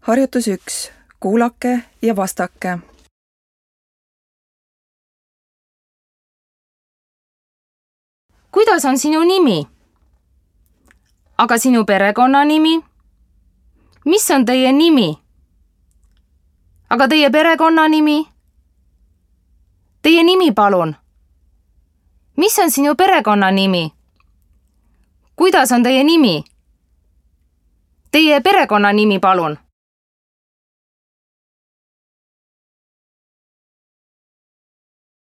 Harjutus 1. Kuulake ja vastake. Kuidas on sinu nimi? Aga sinu perekonnanimi? Mis on teie nimi? Aga teie perekonnanimi? Teie nimi palun. Mis on sinu perekonnanimi? Kuidas on teie nimi? Teie perekonnanimi palun.